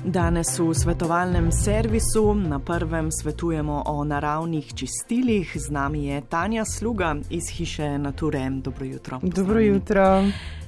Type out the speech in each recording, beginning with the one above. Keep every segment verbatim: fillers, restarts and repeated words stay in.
Danes v svetovalnem servisu na prvem svetujemo o naravnih čistilih. Z nami je Tanja Sluga iz hiše Nature. Dobro jutro. Dobro jutro.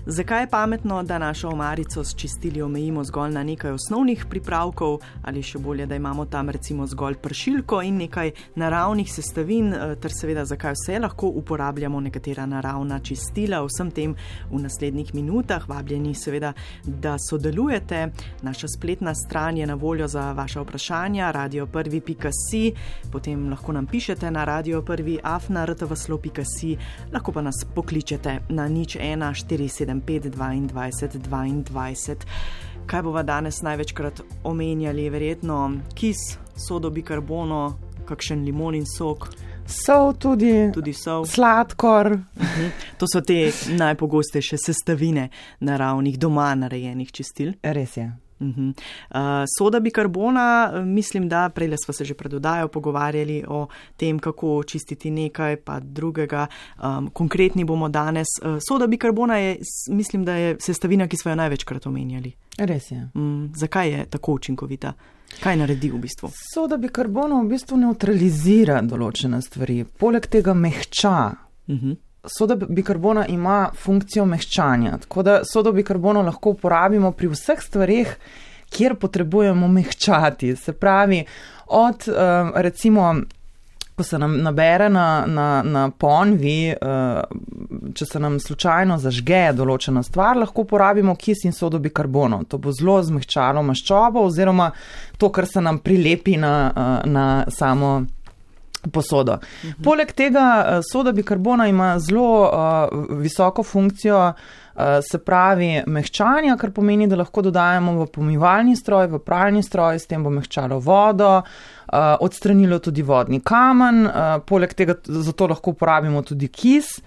Zakaj je pametno, da našo omarico s čistili omejimo zgolj na nekaj osnovnih pripravkov ali še bolje, da imamo tam recimo zgolj pršilko in nekaj naravnih sestavin, ter seveda zakaj vse lahko uporabljamo nekatera naravna čistila. Vsem tem v naslednjih minutah. Vabljeni seveda, da sodelujete. Naša spletna stran je na voljo za vaša vprašanja radio prvi pika si, potem lahko nam pišete na radio prvi afna r t v slo pika si, lahko pa nas pokličete na nič ena štiri sedem pet dvajset dvajset. Kaj bova danes največkrat omenjali? Verjetno kis, sodo bikarbono, kakšen limonin sok. Sol tudi, tudi sol. Sladkor. Uh-huh. To so te najpogostejše sestavine naravnih, doma narejenih čistil. Res je. Uh-huh. Uh, soda bikarbona, mislim, da prejle sva se že pred oddajo pogovarjali o tem, kako čistiti nekaj pa drugega. Um, konkretni bomo danes. Uh, soda bikarbona je, mislim, da je sestavina, ki sva jo največkrat omenjali. Res je. Um, zakaj je tako učinkovita? Kaj naredi v bistvu? Soda bikarbona v bistvu neutralizira določene stvari, poleg tega mehča. Uh-huh. Soda bikarbona ima funkcijo mehčanja, tako da sodo bikarbono lahko uporabimo pri vseh stvareh, kjer potrebujemo mehčati. Se pravi, od recimo, ko se nam nabere na, na, na ponvi, če se nam slučajno zažge določena stvar, lahko uporabimo kis in sodo bikarbono. To bo zelo zmehčalo maščobo oziroma to, kar se nam prilepi na, na samo posodo. Uh-huh. Poleg tega soda bikarbona ima zelo uh, visoko funkcijo, uh, se pravi mehčanja, kar pomeni, da lahko dodajamo v pomivalni stroj, v pralni stroj, s tem bo mehčalo vodo, uh, odstranilo tudi vodni kamen, uh, poleg tega zato lahko uporabimo tudi kis.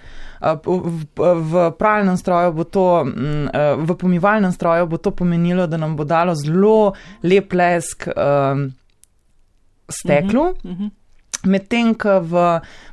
Uh, v, v pralnem stroju bo to, uh, v pomivalnem stroju bo to pomenilo, da nam bo dalo zelo lep lesk uh, steklu. Uh-huh. Uh-huh. Medtem, ko v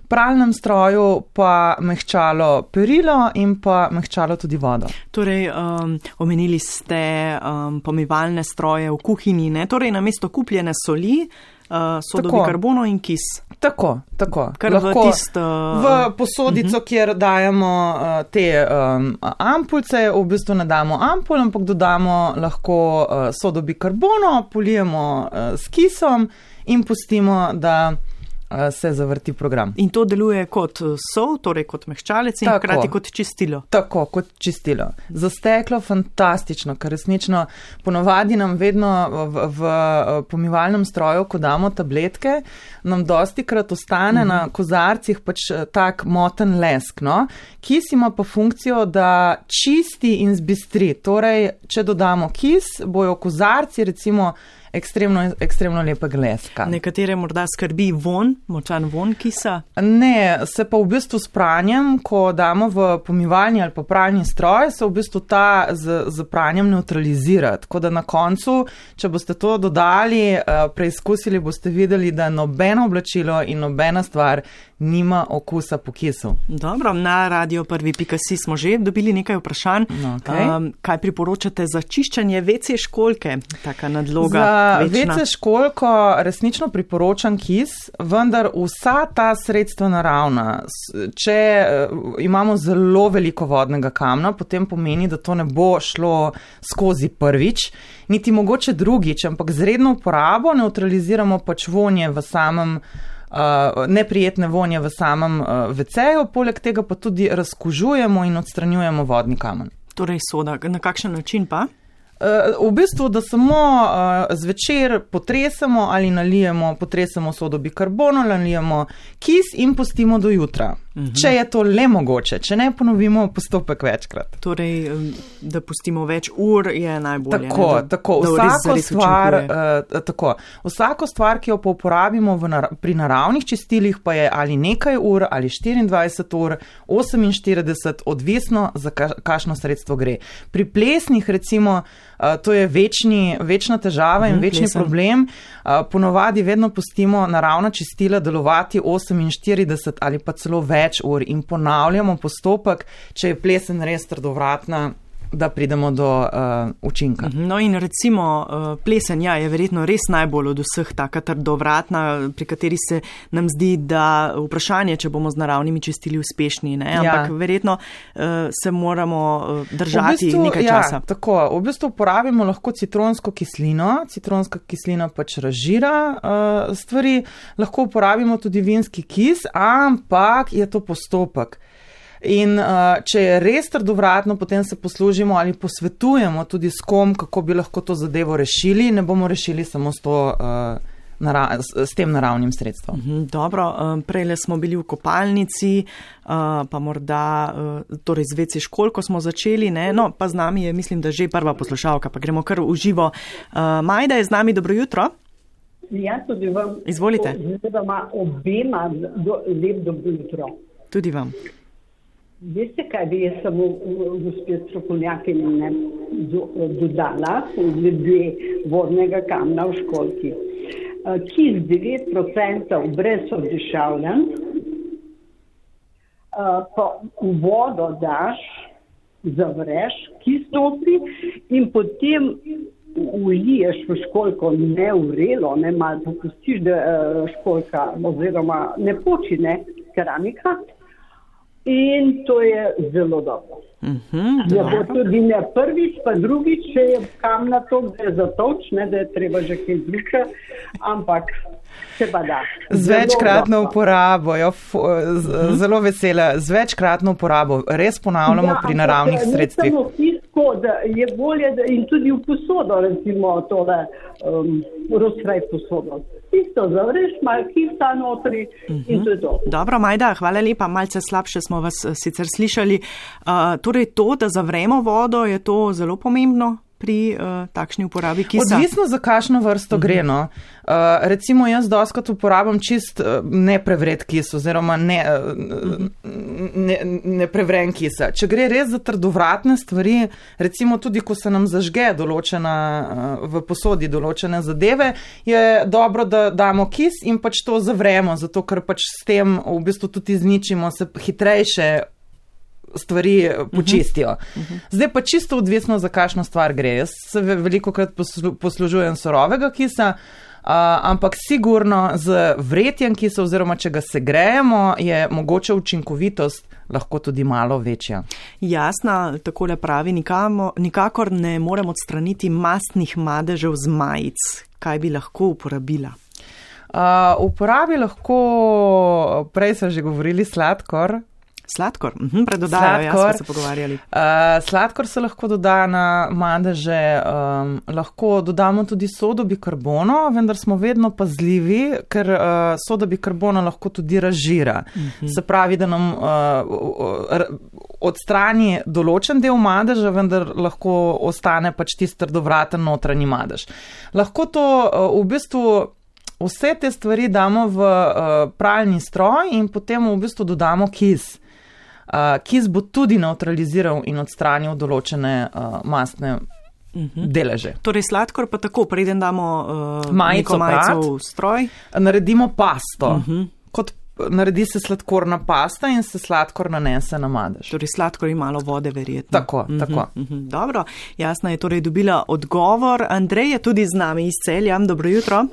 pralnem stroju pa mehčalo perilo in pa mehčalo tudi vodo. Torej, um, omenili ste um, pomivalne stroje v kuhinji, ne? Torej, namesto kupljene soli, uh, sodo bikarbono in kis. Tako, tako. Kar lahko v tist, uh, v posodico, uh-huh. kjer dajemo uh, te um, ampulce, v bistvu ne damo ampul, ampak dodamo lahko uh, sodo bikarbono, polijemo uh, s kisom in pustimo, da se zavrti program. In to deluje kot sol, torej kot mehčalec in hkrati kot čistilo. Tako, kot čistilo. Za steklo fantastično, ker resnično ponovadi nam vedno v, v pomivalnem stroju, ko damo tabletke, nam dostikrat ostane mm-hmm. na kozarcih pač tak moten lesk, no? Kis ima pa funkcijo, da čisti in zbistri. Torej, če dodamo kis, bojo kozarci recimo ekstremno, ekstremno lepega leska. Nekatere morda skrbi von, močan von kisa? Ne, se pa v bistvu s pranjem, ko damo v pomivalni ali pa pralni stroj, se v bistvu ta z, z pranjem neutralizira. Tako da na koncu, če boste to dodali, preizkusili, boste videli, da nobeno oblačilo in nobena stvar nima okusa po kisu. Dobro, na radio prvi pika si smo že dobili nekaj vprašanj. Okay. Um, kaj priporočate za čiščenje ve ce školjke? Taka nadloga. Za ve ce školjko resnično priporočam kis, vendar vsa ta sredstva naravna, če imamo zelo veliko vodnega kamna, potem pomeni, da to ne bo šlo skozi prvič, niti mogoče drugič, ampak z redno uporabo neutraliziramo pač vonje v samem Uh, neprijetne vonje v samem uh, ve ceju, poleg tega pa tudi razkužujemo in odstranjujemo vodni kamen. Torej soda, na kakšen način pa? Uh, v bistvu, da samo uh, zvečer potresemo ali nalijemo, potresemo sodo bikarbono, nalijemo kis in pustimo do jutra. Uh-huh. Če je to le mogoče, če ne ponovimo postopek večkrat. Torej, da pustimo več ur, je najbolje. Tako, ne, da, tako. Da Vsako, res, stvar, uh, tako. Vsako stvar, ki jo pa uporabimo v nar- pri naravnih čistilih, pa je ali nekaj ur, ali štiriindvajset ur, oseminštirideset, odvisno za ka- kakšno sredstvo gre. Pri plesnih, recimo, uh, to je večni, večna težava in uh-huh, večni plesen. problem. Uh, ponovadi vedno pustimo naravna čistila delovati oseminštirideset ali pa celo več ur in ponavljamo postopek, če je plesen res trdovratna da pridemo do uh, učinka. No in recimo uh, plesen, ja, je verjetno res najbolj od vseh taka trdovratna, pri kateri se nam zdi, da vprašanje, če bomo z naravnimi čistili uspešni, ne? Ampak ja. verjetno uh, se moramo uh, držati v bistvu, nekaj časa. Ja, tako, v bistvu uporabimo lahko citronsko kislino, citronska kislina pač razžira uh, stvari, lahko uporabimo tudi vinski kis, ampak je to postopek. In uh, če je res trdovratno, potem se poslužimo ali posvetujemo tudi s kom, kako bi lahko to zadevo rešili, ne bomo rešili samo s, to, uh, nara- s, s tem naravnim sredstvom. Mhm, dobro, um, prejle smo bili v kopalnici, uh, pa morda uh, torej z veci školjko smo začeli, ne? No, pa z nami je, mislim, da že prva poslušalka, pa gremo kar v živo. Uh, Majda je z nami, dobro jutro. Ja, tudi vam. Izvolite. Zvedoma obema do, lep dobro jutro. Tudi vam. Veste, kaj bi jaz samo gospod strokovnjakinja ne do, dodala glede vodnega kamna v školjki. Kis devet procentov brez oddišavljanj, pa v vodo daš, zavreš, kis notri in potem uliješ v školjko nevrelo, ne malo popustiš, da školjka oziroma ne počine keramika. In to je zelo dobro. Mm-hmm, ja, bo tudi ne prvič, pa drugič, če je kamna to, da je zatoč, ne, da je treba že kaj druga, ampak se pa da. Z večkratno uporabo, jo, f, z, mm-hmm. zelo vesela, z večkratno uporabo, res ponavljamo ja, pri naravnih sredstvih. Ja, ampak tisko, da je bolje, da in tudi v posodo, recimo tole um, rozkraj posodo. Isto zavreš, malo kisa notri uh-huh. in to je to. Dobro, Majda, hvala lepa, malce slabše smo vas sicer slišali. Uh, torej to, da zavremo vodo, je to zelo pomembno pri uh, takšni uporabi kisa? Odvisno za kakšno vrsto uh-huh. gre, no. Uh, recimo jaz doskrat uporabam čist uh, neprevret kis oziroma ne, uh, ne, ne prevren kisa. Če gre res za trdovratne stvari, recimo tudi, ko se nam zažge določena, uh, v posodi določene zadeve, je dobro, da damo kis in pač to zavremo, zato ker pač s tem v bistvu tudi izničimo, se hitrejše stvari počistijo. Uh-huh. Zdaj pa čisto odvisno, za kakšno stvar gre. Jaz se veliko krat poslu, poslužujem surovega kisa, uh, ampak sigurno z vretjem kisa oziroma če ga segrejemo, je mogoče učinkovitost lahko tudi malo večja. Jasna, takole pravi, nikamo, nikakor ne morem odstraniti mastnih madežev z majic. Kaj bi lahko uporabila? Uh, uporabi lahko, prej so že govorili, sladkor. Sladkor, mhm, predodajo, jaz smo se pogovarjali. Uh, sladkor se lahko doda na madeže, um, lahko dodamo tudi sodo bikarbono, vendar smo vedno pazljivi, ker uh, soda bikarbono lahko tudi razžira. Uh-huh. Se pravi, da nam uh, odstrani določen del madeža, vendar lahko ostane pač tisti trdovraten notranji madež. Lahko to uh, v bistvu vse te stvari damo v uh, pralni stroj in potem v bistvu dodamo kis. Uh, kis bo tudi neutraliziral in odstranil določene uh, mastne uh-huh. deleže. Torej sladkor pa tako, preden damo uh, majico, majico v stroj? Naredimo pasto. Uh-huh. Kot naredi se sladkorna pasta in se sladkor nanese na madež. Torej sladkor in malo vode verjetno. Tako, uh-huh. tako. Uh-huh. Dobro, Jasna je torej dobila odgovor. Andrej je tudi z nami iz Celja. Dobro jutro.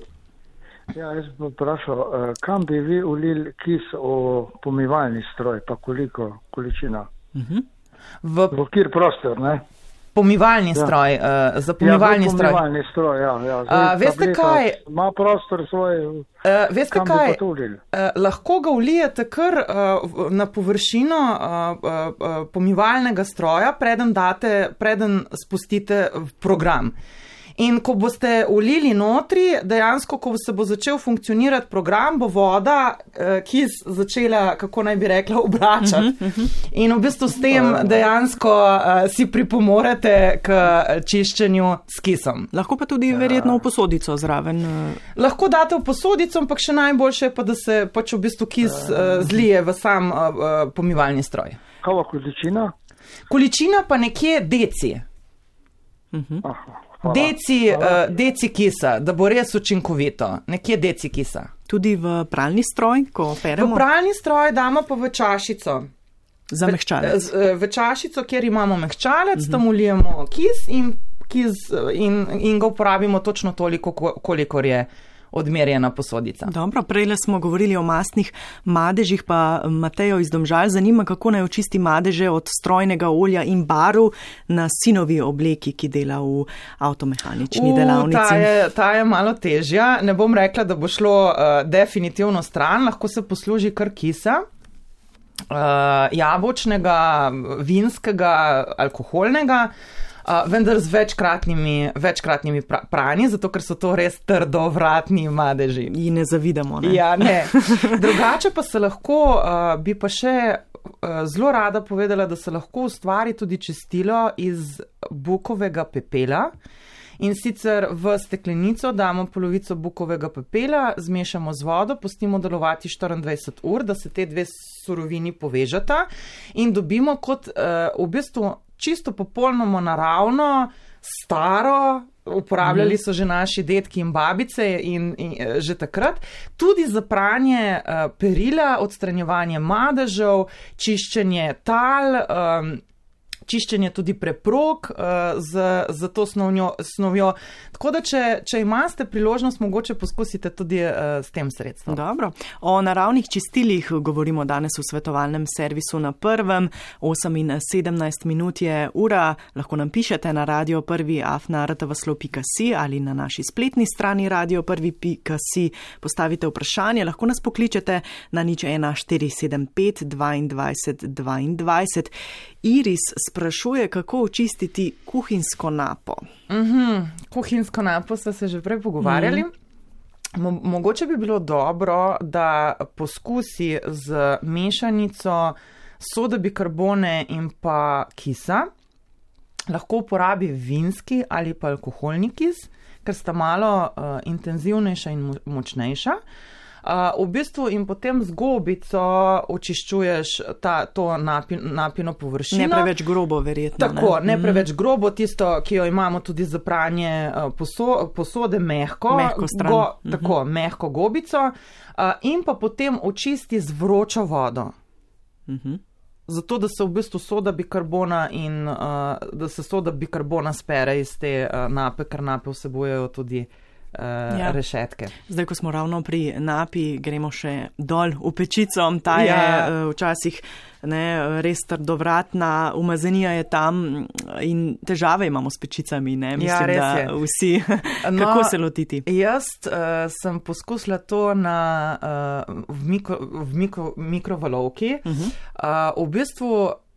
Ja, jaz bi vprašal, kam bi vi ulili kis v pomivalni stroj, pa koliko količina? Uh-huh. V, v kjer prostor, ne? Pomivalni ja. stroj, uh, za pomivalni ja, stroj. Ja, pomivalni stroj, ja. ja. Zdaj, uh, veste kaj? Ima prostor svoj, uh, veste kam kaj? bi pa to ulili? Uh, lahko ga ulijete kar uh, na površino uh, uh, uh, pomivalnega stroja, preden date, preden spustite v program. In ko boste ulili notri, dejansko, ko se bo začel funkcionirati program, bo voda, ki je začela, kako naj bi rekla, obračati. Uh-huh, uh-huh. In v bistvu s tem dejansko uh, si pripomorete k čiščenju s kisom. Lahko pa tudi verjetno v posodico zraven. Lahko date v posodico, ampak še najboljše je pa, da se pač v bistvu kis uh, zlije v sam uh, pomivalni stroj. Kava količina? Količina pa nekje deci. Uh-huh. Aha. Deci, uh, deci kisa, da bo res učinkovito. Nekje deci kisa. Tudi v pralni stroj, ko peremo? V pralni stroj damo pa v čašico. Za mehčalec. V, v čašico, kjer imamo mehčalec, uh-huh. tam ulijemo kis in, kis in, in ga uporabimo točno toliko, kolikor je odmerjena posodica. Dobro, prejle smo govorili o mastnih madežih, pa Matejo iz Domžal zanima, kako naj očisti madeže od strojnega olja in barv na sinovi obleki, ki dela v avtomehanični uh, delavnici. Ta je, ta je malo težja. Ne bom rekla, da bo šlo uh, definitivno stran, lahko se posluži kar kisa. Uh, jabolčnega, vinskega, alkoholnega, uh, vendar z večkratnimi, večkratnimi pra- pranji, zato ker so to res trdovratni madeži. In ne zavidamo, ne? Ja, ne. Drugače pa se lahko, uh, bi pa še uh, zelo rada povedala, da se lahko ustvari tudi čistilo iz bukovega pepela. In sicer v steklenico damo polovico bukovega pepela, zmešamo z vodo, pustimo delovati štiriindvajset ur, da se te dve surovini povežata in dobimo kot uh, v bistvu čisto popolnoma naravno, staro, uporabljali so že naši dedki in babice in, in že takrat, tudi za pranje uh, perila, odstranjevanje madežev, čiščenje tal, um, čiščenje tudi preprog uh, z, z to snovnjo, snovjo. Tako da, če, če imate priložnost, mogoče poskusite tudi uh, s tem sredstvom. Dobro. O naravnih čistilih govorimo danes v svetovalnem servisu na prvem. osem in sedemnajst minut je ura. Lahko nam pišete na radio prvi afna r t v slo pika si ali na naši spletni strani radio prvi pika si. Postavite vprašanje, lahko nas pokličete na nič ena štiri sedem pet dvaindvajset dvaindvajset. Iris sprašuje, kako očistiti kuhinjsko napo. Mm-hmm. Kuhinjsko napo so se že prej pogovarjali. Mm. Mo- mogoče bi bilo dobro, da poskusi z mešanico soda bikarbone in pa kisa. Lahko uporabi vinski ali pa alkoholni kis, ker sta malo uh, intenzivnejša in mo- močnejša. Uh, v bistvu in potem z gobico očiščuješ ta, to napi, napino površino. Ne preveč grobo, verjetno. Tako, ne, ne preveč grobo, tisto, ki jo imamo tudi za pranje uh, poso, posode, mehko. Mehko stran. Go, tako, uh-huh. mehko gobico. Uh, in pa potem očisti z vročo vodo. Uh-huh. Zato, da se v bistvu soda bikarbona in uh, da se soda bikarbona spere iz te uh, nape, ker nape vsebujejo tudi Uh, ja. rešetke. Zdaj, ko smo ravno pri napi, gremo še dol v pečico. Ta ja. je uh, včasih ne, res trdovratna, umazanija je tam in težave imamo s pečicami. Ne? Mislim, ja, da vsi. No, kako se lotiti? Jaz uh, sem poskusila to na, uh, v, mikro, v mikro, mikrovalovki. Uh-huh. Uh, v bistvu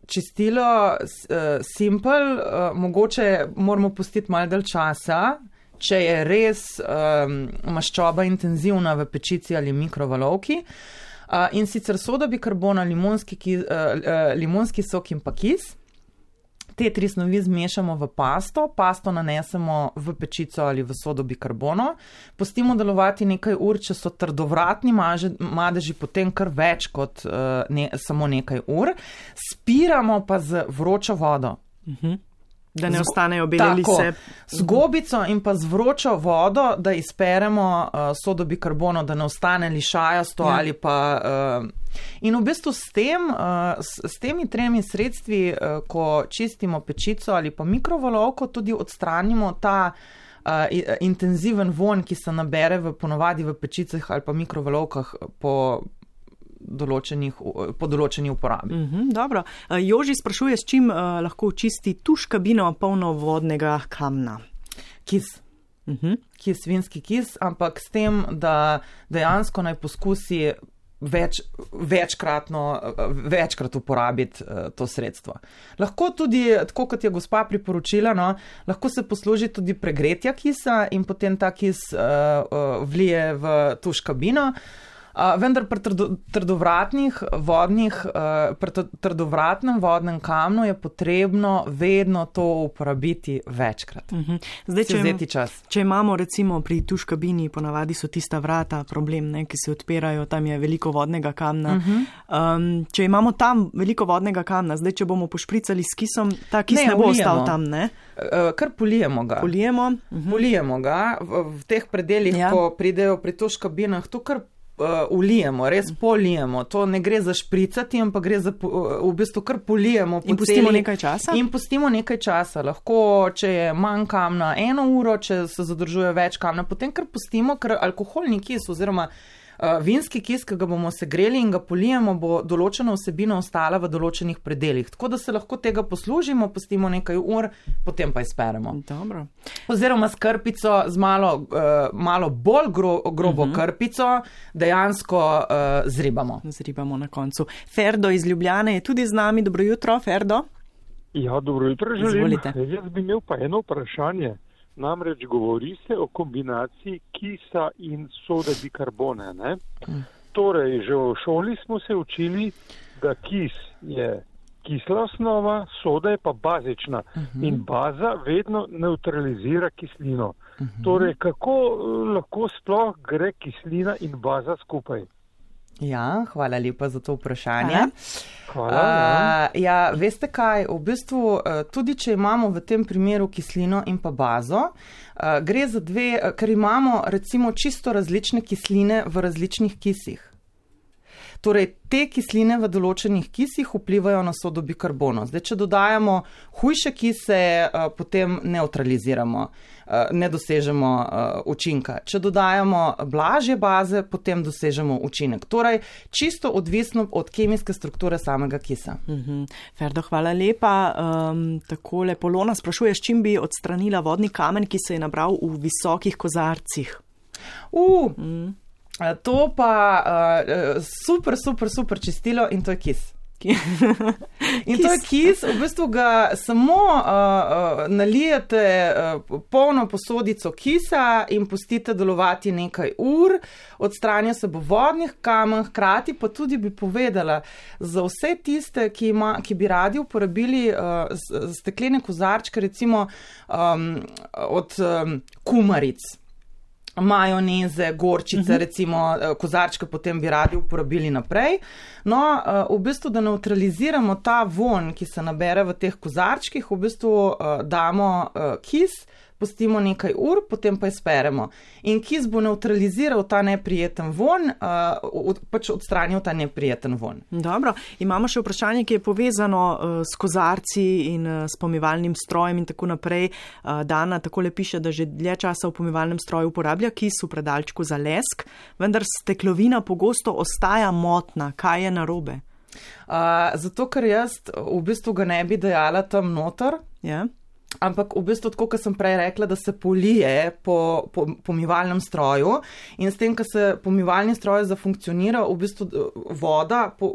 čistilo uh, simple, uh, mogoče moramo pustiti malo dalj časa, če je res um, maščoba intenzivna v pečici ali mikrovalovki. Uh, in sicer soda bikarbona, limonski, ki, uh, uh, limonski sok in pa kis. Te tri snovi zmešamo v pasto, pasto nanesemo v pečico ali v sodo bikarbono, pustimo delovati nekaj ur, če so trdovratni maže, madeži, potem kar več kot uh, ne, samo nekaj ur. Spiramo pa z vročo vodo. Uh-huh. Da ne ostanejo bele lise. Z gobico in pa z vročo vodo, da izperemo uh, sodo bikarbono, da ne ostane lišajasto ja. ali pa... Uh, in v bistvu s tem, uh, s, s temi tremi sredstvi, uh, ko čistimo pečico ali pa mikrovalovko, tudi odstranimo ta uh, intenziven vonj, ki se nabere v, ponovadi v pečicah ali pa mikrovalovkah po... Določenih, po določeni uporabi. Mm-hmm, dobro. Joži sprašuje, s čim uh, lahko očisti tuš kabino polno vodnega kamna? Kis. Mm-hmm. Kis, vinski kis, ampak s tem, da dejansko naj poskusi več, večkratno, večkrat uporabiti uh, to sredstvo. Lahko tudi, tako kot je gospa priporočila, no, lahko se posluži tudi pregretja kisa in potem ta kis uh, uh, vlije v tuš kabino. Uh, vendar pri trdo, trdovratnih vodnih, uh, pri trdovratnem vodnem kamnu je potrebno vedno to uporabiti večkrat. Uh-huh. Zdaj, če, vzeti čas. Če imamo recimo pri tuš kabini, ponavadi so tista vrata problem, ne, ki se odpirajo, tam je veliko vodnega kamna. Uh-huh. Um, če imamo tam veliko vodnega kamna, zdaj, če bomo pošpricali s kisom, ta kis ne, ne bo ulijemo. ostal tam, ne? Uh, kar polijemo ga. Polijemo. Uh-huh. Polijemo ga v, v teh predeljih, ja. Ko pridejo pri tuš kabinah, to kar ulijemo, res polijemo. To ne gre za špricati, ampak gre za v bistvu kar polijemo. In pustimo nekaj časa? In pustimo nekaj časa. Lahko, če je manj kamna, eno uro, če se zadržuje več kamna, potem kar pustimo, ker alkoholni kis oziroma Uh, vinski kis, ki ga bomo segreli in ga polijemo, bo določena vsebina ostala v določenih predeljih. Tako da se lahko tega poslužimo, pustimo nekaj ur, potem pa izperemo. Dobro. Oziroma s krpico, z malo, uh, malo bolj gro, grobo uh-huh. krpico, dejansko uh, zribamo. Zribamo na koncu. Ferdo iz Ljubljane je tudi z nami. Dobro jutro, Ferdo. Ja, dobro jutro želim. Izvolite. Jaz bi imel pa eno vprašanje. Namreč govori se o kombinaciji kisa in sode bikarbone. Ne? Torej, že v šoli smo se učili, da kis je kisla osnova, soda je pa bazična uh-huh. in baza vedno neutralizira kislino. Uh-huh. Torej, kako lahko sploh gre kislina in baza skupaj? Ja, hvala lepa za to vprašanje. Hvala, ja. Uh, ja, veste kaj, v bistvu tudi, če imamo v tem primeru kislino in pa bazo, uh, gre za dve, ker imamo recimo čisto različne kisline v različnih kisih. Torej, te kisline v določenih kisih vplivajo na sodo bikarbono. Zdaj, če dodajamo hujše kise, potem neutraliziramo, ne dosežemo učinka. Če dodajamo blažje baze, potem dosežemo učinek. Torej, čisto odvisno od kemijske strukture samega kisa. Mm-hmm. Ferdo, hvala lepa. Um, takole Polona sprašuje, s čim bi odstranila vodni kamen, ki se je nabral v visokih kozarcih. Uh, mm. To pa uh, super, super, super čistilo in to je kis. In to je kis, v bistvu ga samo uh, uh, nalijete uh, polno posodico kisa in pustite delovati nekaj ur, odstranja se bo vodnih kamen, hkrati pa tudi bi povedala za vse tiste, ki, ima, ki bi radi uporabili uh, steklene kozarčke, recimo um, od um, kumaric. Majoneze, gorčice, uh-huh. recimo kozarčke potem bi radi uporabili naprej. No, v bistvu, da neutraliziramo ta vonj, ki se nabere v teh kozarčkih, v bistvu damo kis, pustimo nekaj ur, potem pa izperemo. In kis bo neutraliziral ta neprijeten vonj, pač odstranil ta neprijeten vonj. Dobro, imamo še vprašanje, ki je povezano s kozarci in s pomivalnim strojem in tako naprej. Dana takole piše, da že dlje časa v pomivalnem stroju uporablja kis v predalčku za lesk, vendar steklovina pogosto ostaja motna. Kaj je narobe? Uh, zato, ker jaz v bistvu ga ne bi dajala tam noter. Ja. Ampak v bistvu, tako kot sem prej rekla, da se polije po, po pomivalnem stroju in s tem, ko se pomivalni stroj zafunkcionira, v bistvu voda po,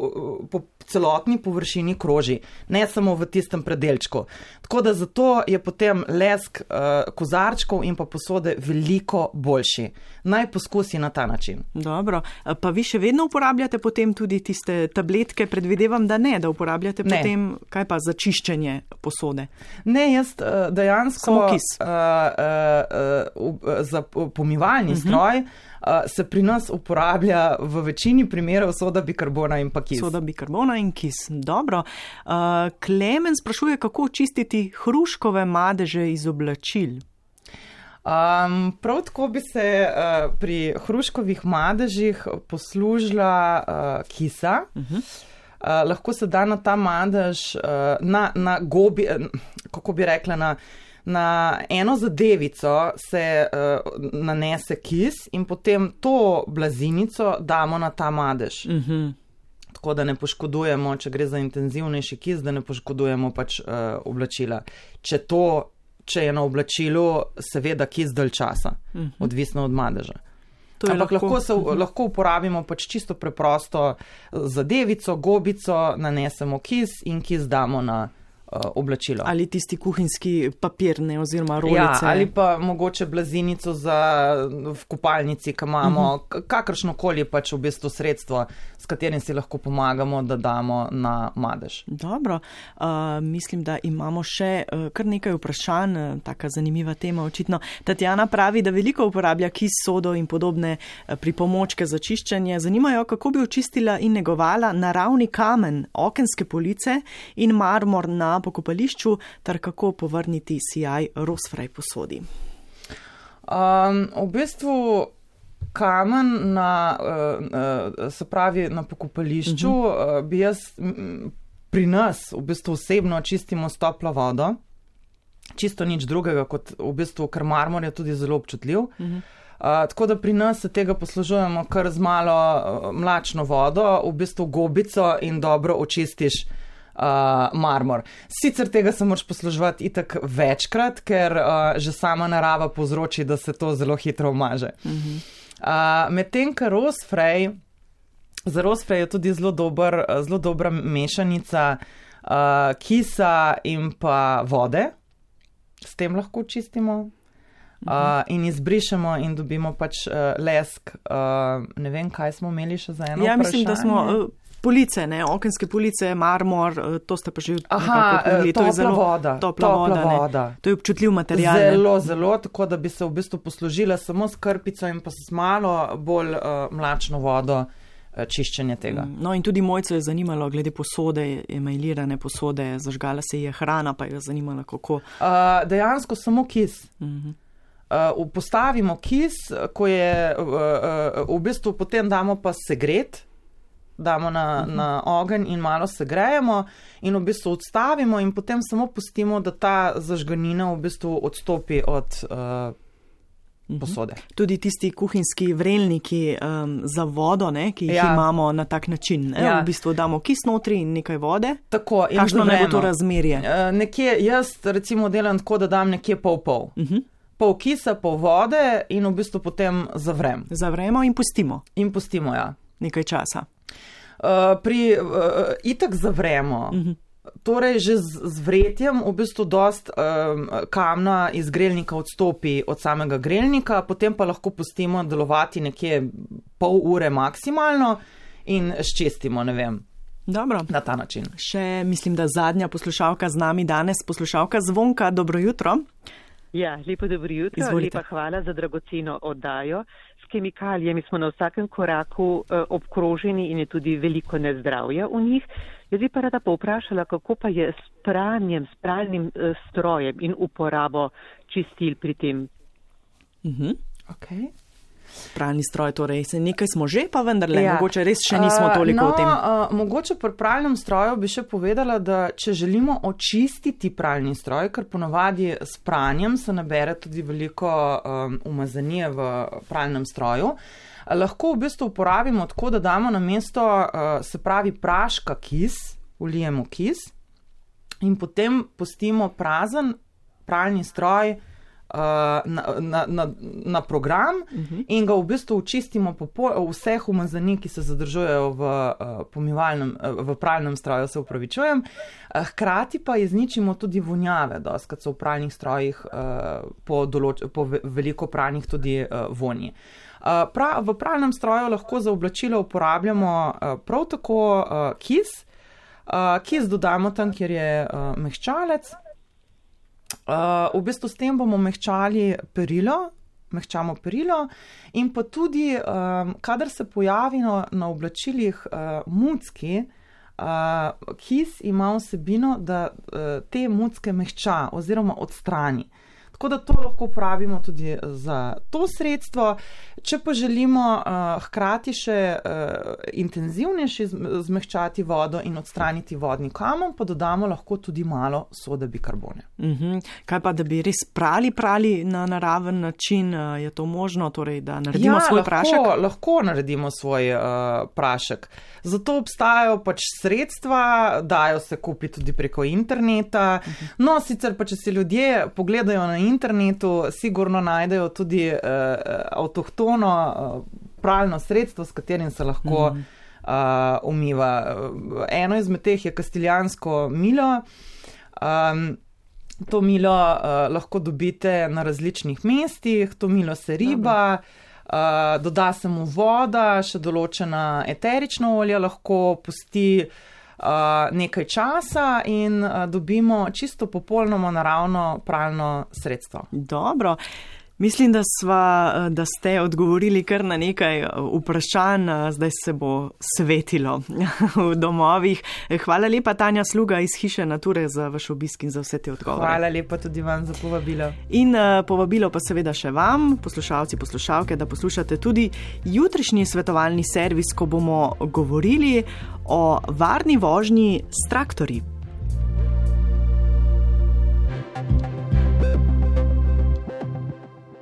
po celotni površini kroži, ne samo v tistem predelčku. Tako da zato je potem lesk uh, kozarčkov in pa posode veliko boljši. Naj poskusi na ta način. Dobro, pa vi še vedno uporabljate potem tudi tiste tabletke, predvidevam, da ne, da uporabljate ne. Potem, kaj pa za čiščenje posode? Ne, jaz dejansko uh, uh, uh, za pomivalni uh-huh. stroj uh, se pri nas uporablja v večini primerov soda bikarbona in pa kis. Soda bikarbona in kis. Dobro. Uh, Klemen sprašuje, kako čistiti hruškove madeže iz oblačil. Um, prav tako bi se uh, pri hruškovih madežih poslužila uh, kisa. Uh-huh. Uh, lahko se da na ta madež, uh, na, na gobi, uh, kako bi rekla, na, na eno zadevico se uh, nanese kis in potem to blazinico damo na ta madež. Uh-huh. Tako da ne poškodujemo, če gre za intenzivnejši kis, da ne poškodujemo pač uh, oblačila. Če to, če je na oblačilu, seveda kis dalj časa, uh-huh. odvisno od madeža. Ampak lahko, lahko, se, lahko uporabimo pač čisto preprosto zadevico, gobico, nanesemo kis in kis damo na uh, oblačilo. Ali tisti kuhinjski papir, ne, oziroma rolice. Ja, ali pa mogoče blazinico za v kopalnici, ki imamo uh-huh. kakršnokoli pač v bistvu sredstvo, s katerim si lahko pomagamo, da damo na madež. Dobro, uh, mislim, da imamo še uh, kar nekaj vprašanj, uh, taka zanimiva tema očitno. Tatjana pravi, da veliko uporablja kis, sodo in podobne uh, pripomočke za čiščenje. Zanimajo, kako bi očistila in negovala naravni kamen, okenske police in marmor na pokopališču, ter kako povrniti sijaj rozfraj posodi. Um, v bistvu kamen na, se pravi, na pokopališču, uh-huh. bi jaz pri nas v bistvu osebno čistimo s toplo vodo, čisto nič drugega, kot v bistvu, ker marmor je tudi zelo občutljiv. Uh-huh. Uh, tako da pri nas se tega poslužujemo kar z malo uh, mlačno vodo, v bistvu gobico in dobro očistiš uh, marmor. Sicer tega se moraš posluževati itak večkrat, ker uh, že sama narava povzroči, da se to zelo hitro umaže. Uh-huh. Uh, medtem, ker rosfrej, za rosfrej je tudi zelo, dober, zelo dobra mešanica uh, kisa in pa vode. S tem lahko čistimo. Uh, in izbrišemo in dobimo pač uh, lesk. Uh, ne vem, kaj smo imeli še za eno ja, vprašanje. Mislim, da smo uh, police, ne, okenske police, marmor, uh, to ste pa že Aha, nekako topla zelo, voda. Topla, topla voda, voda. To je občutljiv material. Zelo, ne? zelo, tako da bi se v bistvu poslužila samo s krpico in pa s malo bolj uh, mlačno vodo uh, čiščenje tega. No in tudi Mojco je zanimalo glede posode, emailirane posode, zažgala se je hrana, pa je zanimala kako. Uh, dejansko samo kis. Uh-huh. Uh, postavimo kis, ko je uh, uh, v bistvu potem damo pa segret, damo na, uh-huh. na ogenj in malo segrejemo in v bistvu odstavimo in potem samo pustimo, da ta zažganina v bistvu odstopi od uh, posode. Uh-huh. Tudi tisti kuhinjski vrelniki um, za vodo, ne, ki jih ja. imamo na tak način. Ne? Ja. V bistvu damo kis notri in nekaj vode. Tako, in kakšno naj bo to razmerje? Uh, nekje, jaz recimo delam tako, da dam nekje pol-pol. Uh-huh. Pol kisa, pol vode in v bistvu potem zavrem. Zavremo in pustimo. In pustimo, ja. Nekaj časa. Uh, pri uh, itak zavremo. Uh-huh. Torej, že z, z vretjem v bistvu dost um, kamna iz grelnika odstopi od samega grelnika, potem pa lahko pustimo delovati nekje pol ure maksimalno in ščistimo, ne vem. Dobro. Na ta način. Še mislim, da zadnja poslušalka z nami danes, poslušalka Zvonka, dobro jutro. Ja, lepo dobro jutro, Izvolite. Lepa hvala za dragoceno oddajo. S kemikalijami smo na vsakem koraku eh, obkroženi in je tudi veliko nezdravja v njih. Jaz bi pa rada povprašala, kako pa je s pranjem, s pralnim eh, strojem in uporabo čistil pri tem. Mhm. Okay. Pralni stroj, torej se nekaj smo že, pa vendarle, ja. mogoče res še nismo toliko uh, no, o tem. Uh, mogoče pri pralnem stroju bi še povedala, da če želimo očistiti pralni stroj, ker ponavadi s pranjem se nabere tudi veliko um, umazanije v pralnem stroju, lahko v bistvu uporabimo tako, da damo na mesto, uh, se pravi praška kis, vlijemo kis in potem pustimo prazen pralni stroj Na, na, na, na program uh-huh. in ga v bistvu očistimo po pol, vseh umazanij, ki se zadržujejo v, pomivalnem, v pralnem stroju, se upravičujem. Hkrati pa izničimo tudi vonjave, doskrat so v pralnih strojih po, določ, po veliko pralnih tudi vonji. Pra, v pralnem stroju lahko za oblačilo uporabljamo prav tako kis. Kis dodamo tam, kjer je mehčalec. Uh, v bistvu s tem bomo mehčali perilo, mehčamo perilo in pa tudi, um, kadar se pojavi na, na oblačilih uh, mucki, uh, kis ima vsebino, da uh, te mucke mehča oziroma odstrani. Tako da to lahko uporabimo tudi za to sredstvo. Če pa želimo uh, hkrati še uh, intenzivnejši zmehčati vodo in odstraniti vodni kamen, pa dodamo lahko tudi malo sode bikarbone. Uh-huh. Kaj pa, da bi res prali, prali na naraven način, uh, je to možno, torej, da naredimo ja, svoj lahko, prašek? Lahko naredimo svoj uh, prašek. Zato obstajajo pač sredstva, dajo se kupiti tudi preko interneta. Uh-huh. No, sicer pa, če si ljudje pogledajo na internetu, sigurno najdejo tudi uh, avtohtono uh, pralno sredstvo, s katerim se lahko uh, umiva. Eno izmed teh je kastiljansko milo. Um, to milo uh, lahko dobite na različnih mestih, to milo se riba, uh, doda se mu voda, še določena eterična olja lahko pusti Uh, nekaj časa in uh, dobimo čisto popolnoma naravno pralno sredstvo. Dobro. Mislim, da, sva, da ste odgovorili kar na nekaj vprašanj, zdaj se bo svetilo v domovih. Hvala lepa, Tanja Sluga iz Hiše Nature, za vaš obisk in za vse te odgovore. Hvala lepa tudi vam za povabilo. In povabilo pa seveda še vam, poslušalci, poslušalke, da poslušate tudi jutrišnji svetovalni servis, ko bomo govorili o varni vožnji s traktorji.